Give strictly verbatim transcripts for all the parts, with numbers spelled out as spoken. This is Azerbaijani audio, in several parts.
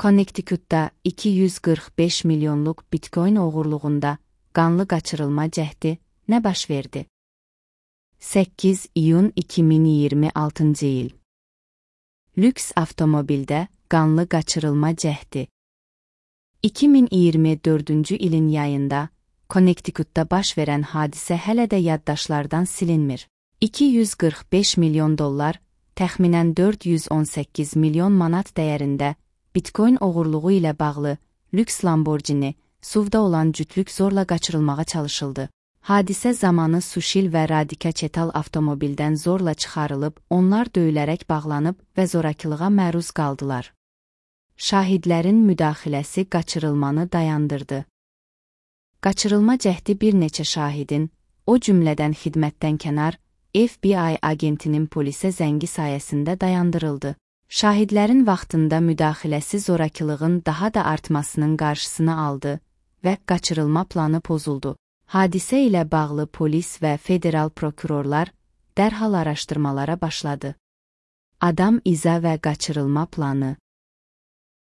Connecticut'da iki yüz qırx beş milyonluq bitcoin oğurluğunda qanlı qaçırılma cəhdi nə baş verdi? səkkiz iyun iki min iyirmi altıncı il. Lüks avtomobildə qanlı qaçırılma cəhdi. iki min iyirmi dördüncü ilin yayında Connecticut'da baş verən hadisə hələ də yaddaşlardan silinmir. iki yüz qırx beş milyon dollar, təxminən dörd yüz on səkkiz milyon manat dəyərində bitcoin oğurluğu ilə bağlı lüks Lamborghini, S U V'da olan cütlük zorla qaçırılmağa çalışıldı. Hadisə zamanı Sushil və Radhika Chetal avtomobildən zorla çıxarılıb, onlar döyülərək bağlanıb və zorakılığa məruz qaldılar. Şahidlərin müdaxiləsi qaçırılmanı dayandırdı. Qaçırılma cəhdi bir neçə şahidin, o cümlədən xidmətdən kənar, F B I agentinin polisə zəngi sayəsində dayandırıldı. Şahidlərin vaxtında müdaxiləsi zorakılığın daha da artmasının qarşısını aldı və qaçırılma planı pozuldu. Hadisə ilə bağlı polis və federal prokurorlar dərhal araşdırmalara başladı. Adam iza və qaçırılma planı.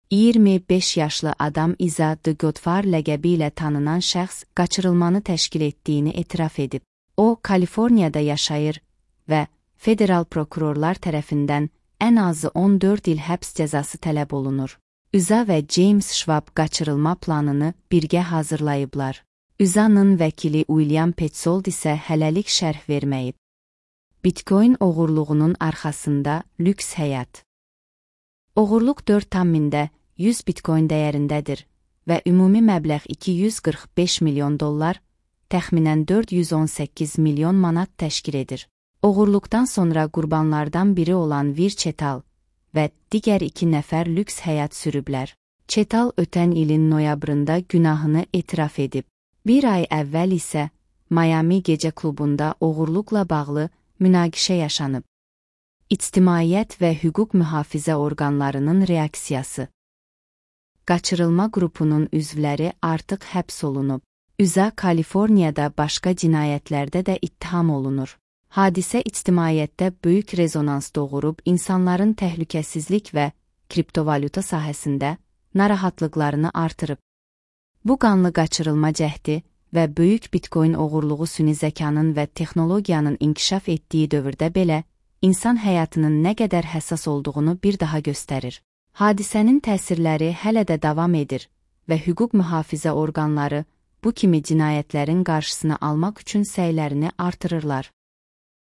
iyirmi beş yaşlı Adam Iza The Godfather ləqəbi ilə tanınan şəxs qaçırılmanı təşkil etdiyini etiraf edib. O, Kaliforniyada yaşayır və federal prokurorlar tərəfindən ən azı on dörd il həbs cəzası tələb olunur. Iza və James Schwab qaçırılma planını birgə hazırlayıblar. Iza'nın vəkili William Petzold isə hələlik şərh verməyib. Bitcoin oğurluğunun arxasında lüks həyat. Oğurluq dörd tam mində yüz bitcoin dəyərindədir və ümumi məbləğ iki yüz qırx beş milyon dollar, təxminən dörd yüz on səkkiz milyon manat təşkil edir. Oğurluqdan sonra qurbanlardan biri olan Vir Chetal və digər iki nəfər lüks həyat sürüblər. Chetal ötən ilin noyabrında günahını etiraf edib. Bir ay əvvəl isə Miami gecə klubunda oğurluqla bağlı münaqişə yaşanıb. İctimaiyyət və hüquq mühafizə orqanlarının reaksiyası. Qaçırılma qrupunun üzvləri artıq həbs olunub. Iza Kaliforniyada başqa cinayətlərdə də ittiham olunur. Hadisə ictimaiyyətdə böyük rezonans doğurub, insanların təhlükəsizlik və kriptovalyuta sahəsində narahatlıqlarını artırıb. Bu qanlı qaçırılma cəhdi və böyük bitcoin oğurluğu süni zəkanın və texnologiyanın inkişaf etdiyi dövrdə belə, insan həyatının nə qədər həssas olduğunu bir daha göstərir. Hadisənin təsirləri hələ də davam edir və hüquq mühafizə orqanları bu kimi cinayətlərin qarşısını almaq üçün səylərini artırırlar.